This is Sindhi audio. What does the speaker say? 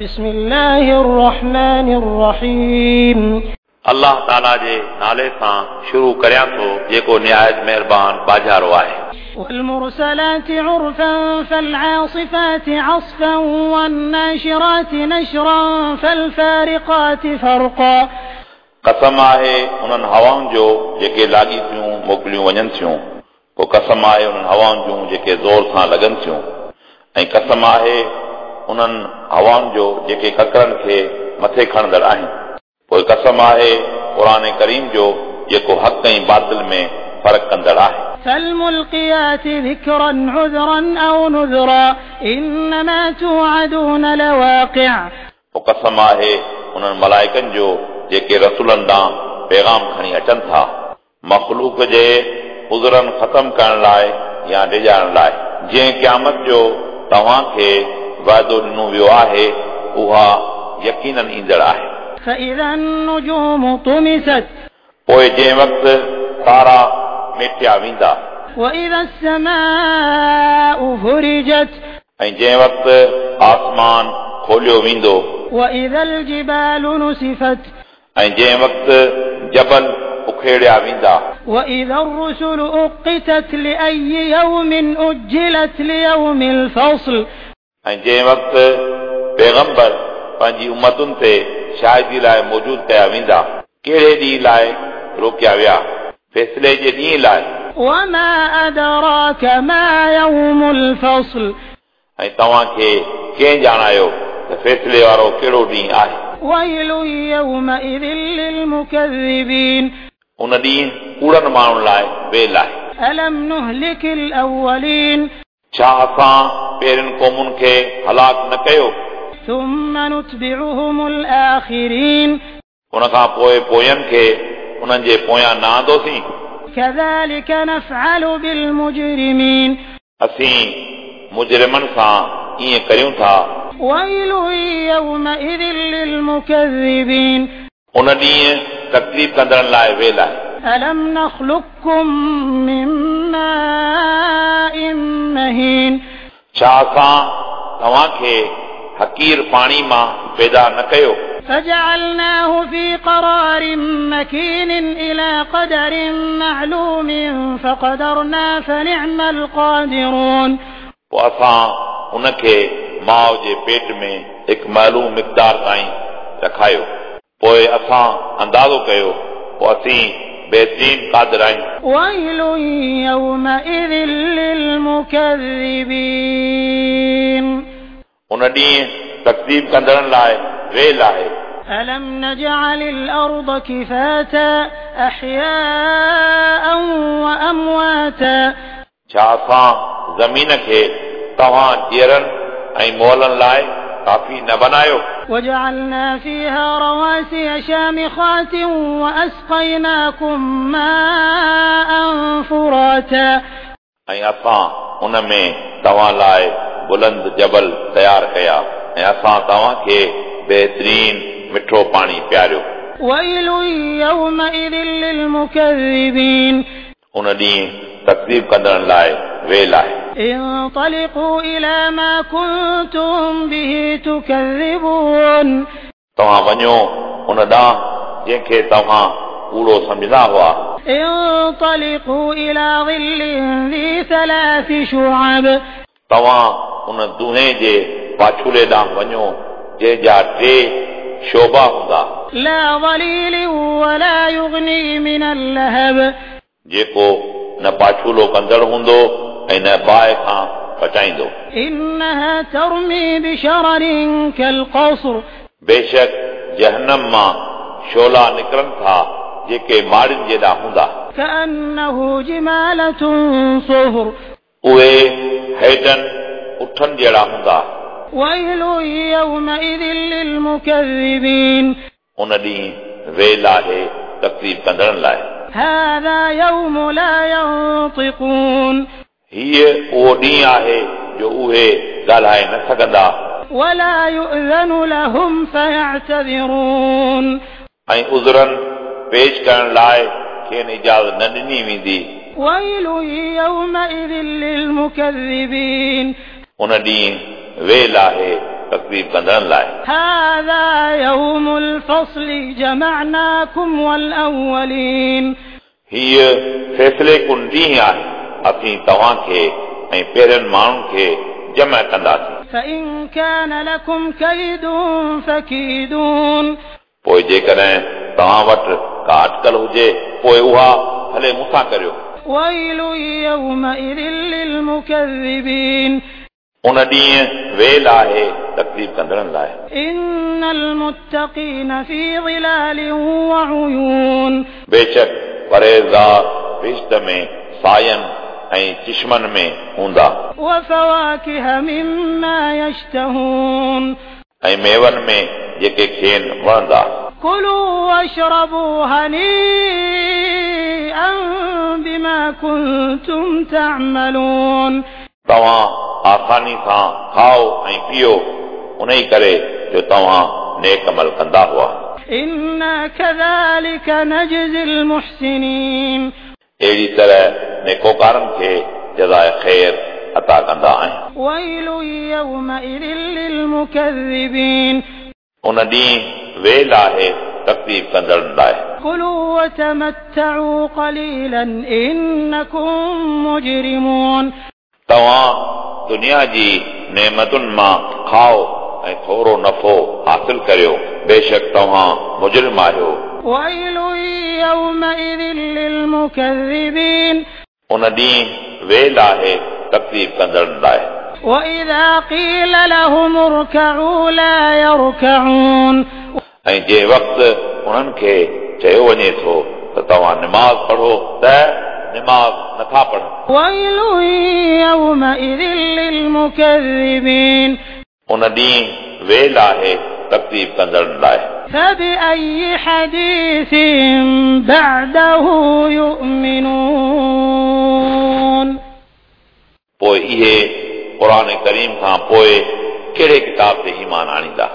بسم الله الرحمن الرحيم. الله تعاليٰ جي نالي سان شروع ڪريان ٿو جيڪو نهايت مهربان ٻاجهارو آهي. والمرسلات عرفا فالعاصفات عصفا والناشرات نشرا فالفارقات فرقا. قسم آهي انهن هوائن جو جيڪي لاڳيتيون موڪليون وڃن ٿيون، پوءِ قسم آهي انهن هوائن جون جيڪي زور سان لڳن ٿيون، ۽ قسم آهي انهن هوائن جو جيڪي ڪڪرن کي مٿي کڻندڙ آهن. پوءِ قسم آهي قرآن ڪريم جو جيڪو حق ۽ باطل ۾ فرق ڪندڙ آهي. فالملقيات ذكرا عذرا أو نذرا إنما توعدون لواقع. پوءِ قسم آهي انهن ملائڪن جو جيڪي رسولن ڏانهن پيغام کڻي اچن ٿا، مخلوق جي عذرن ختم ڪرڻ لاءِ يا ڊيڄارڻ لاءِ. جنهن قيامت جو توهان کي وعدو ڏنو ويو آهي اها يقينن ايندڙ آهي. فإذا النجوم طمست. پوءِ جنهن وقت تارا ميٽيا ويندا. وإذا السماء فرجت. ۽ جنهن وقت آسمان کوليو ويندو. وإذا الجبال نسفت. ۽ جنهن وقت جبل اکيڙيا ويندا. وإذا الرسل أقتت لأي يوم أجلت ليوم الفصل. ۽ جنهن وقت پيغمبر پنهنجي امتن تي شاهدي لاءِ موجود ڪيا ويندا، ڪهڙي ڏينهن لاءِ روڪيا ويا؟ فيصلي جي ڏينهن لاءِ. وما أدراك ما يوم الفصل. ۽ توهان کي ڪنهن ڄاڻايو ته فيصلي وارو ڪهڙو ڏينهن آهي؟ ويل يومئذ للمكذبين. ان ڏينهن ڪوڙن ماڻهن لاءِ ويل آهي. ألم نهلك الأولين. ڇا اسان پهرين قومن کي هلاڪ نه ڪيو؟ ثم نتبعهم الآخرين. ان کان پوءِ پوين کي انهن جي پويان نه آندوسين. كذلك نفعل بالمجرمين. اسين مجرمن سان ائين ڪريون ٿا. ويل يومئذ للمكذبين. ان ڏينهن تڪليف ڪندڙن لاءِ ويل آهي. ألم نخلقكم من ماء مهين. ڇا اسان توهان کي حقير پاڻي مان پيدا نه ڪيو؟ فجعلناه في قرار مكين إلى قدر معلوم فقدرنا فنعم القادرون. پوءِ اسان ان کي ماءُ جي پيٽ ۾ هڪ معلوم مقدار تائين رکايو، پوءِ اسان اندازو ڪيو، پوءِ اسين بهترين قادر آهيون. ويل يومئذ للمكذبين. ان ڏينهن تڪليف ڪندڙن لاءِ ويل آهي. ألم نجعل الأرض كفاتا أحياء وأمواتا. ڇا اسان زمين کي توهان جيئرن ۽ مئلن لاءِ ڪافي نه بنايو؟ وجعلنا فيها رواسي شامخات وأسقيناكم ماء فراتا. ۽ اسان ان ۾ توهان لاءِ بلند جبل تيار ڪيا ۽ اسان توهان کي بهترين مٺو پاڻي پياريو. ويل يومئذ للمكذبين. ان ڏينهن تڪليف ڪندڙن لاءِ ويل آهي. انطلقوا إلى ما كنتم به تكذبون. توهان وڃو ان ڏانهن جنهن کي توهان ڪوڙو سمجهندا هئا. انطلقوا إلى ظل ذي ثلاث شعب. توهان ان دونهي جي پاڇولي ڏانهن وڃو جنهن جا ٽي شوبا هوندا. لا ظليل ولا يغني من اللهب. جيڪو نه پاڇولو ڪندڙ هوندو ۽ نه باهه کان بچائيندو. إنها ترمي بشرر كالقصر. بيشڪ جهنم مان شعلا نڪرن ٿا جيڪي ماڙين جيڏا هوندا. كأنه جمالة صفر. اهي هيڊن اٺن جهڙا هوندا. ويل يومئذ للمكذبين. ان ڏينهن ويل آهي تڪليف ڪندڙن لاءِ. هذا يوم لا ينطقون. هيءُ اهو ڏينهن آهي جو اهي ڳالهائي نه سگهندا. ولا يؤذن لهم فيعتذرون. ۽ عذرن پيش ڪرڻ لاءِ کين اجازت نه ڏني ويندي. ويل يومئذ للمكذبين. ان ڏينهن ويل آهي तकलीफ़ कंदड़नि लाइ। هذا يوم الفصل جمعناكم والأولين हीअ फ़ैसिले कुन ॾींहुं आहे, असीं तव्हांखे ऐं पहिरियनि माण्हुनि खे जमा कंदासीं। فإن كان لكم كيد فكيدون पोइ जेकॾहिं तव्हां वटि का अटकल हुजे पोइ उहा भले मूंसां करियो। ويل يومئذ للمكذبين उन ॾींहुं वेल आहे तकलीफ़ कंदड़नि लाइ। إن المتقين في ظلال وعيون बेशक परहेज़गार बहिश्त में सायनि ऐं चिश्मनि में हूंदा وفواكه مما يشتهون ऐं मेवनि में जेके खेनि वणंदा। كلوا واشربوا هنيئا بما كنتم تعملون तव्हां आसानी सां खाओ ऐं पियो उन ई करे जो तव्हां नेक अमल कंदा हुआ। إنا كذلك نجزي المحسنين अहिड़ी तरह नेकोकारनि खे जज़ाए ख़ैर अता कंदा आहिनि। ويل يومئذ للمكذبين उन ॾींहुं वेल आहे तकलीफ़ कंदड़नि लाइ। كلوا وتمتعوا قليلا إنكم مجرمون तव्हां दुनिया जी नेमतुनि मां खाओ ऐं थोरो नफ़ो हासिल करियो, बेशक तव्हां मुजरिम आहियो। ويل يومئذ للمكذبين उन ॾींहुं वेल आहे तकलीफ़ कंदड़नि लाइ। وإذا قيل لهم اركعوا لا يركعون ऐं जंहिं वक़्तु उन्हनि खे चयो वञे थो त तव्हां निमाज़ पढ़ो त निमाज़ नथा पढ़नि। ويل يومئذ للمكذبين उन ॾींहुं वेल आहे तकलीफ़ कंदड़नि लाइ। فبأي حديث بعده يؤمنون पोइ इहे क़ुर करीम खां पोइ कहिड़े किताब ते ईमान आणींदा?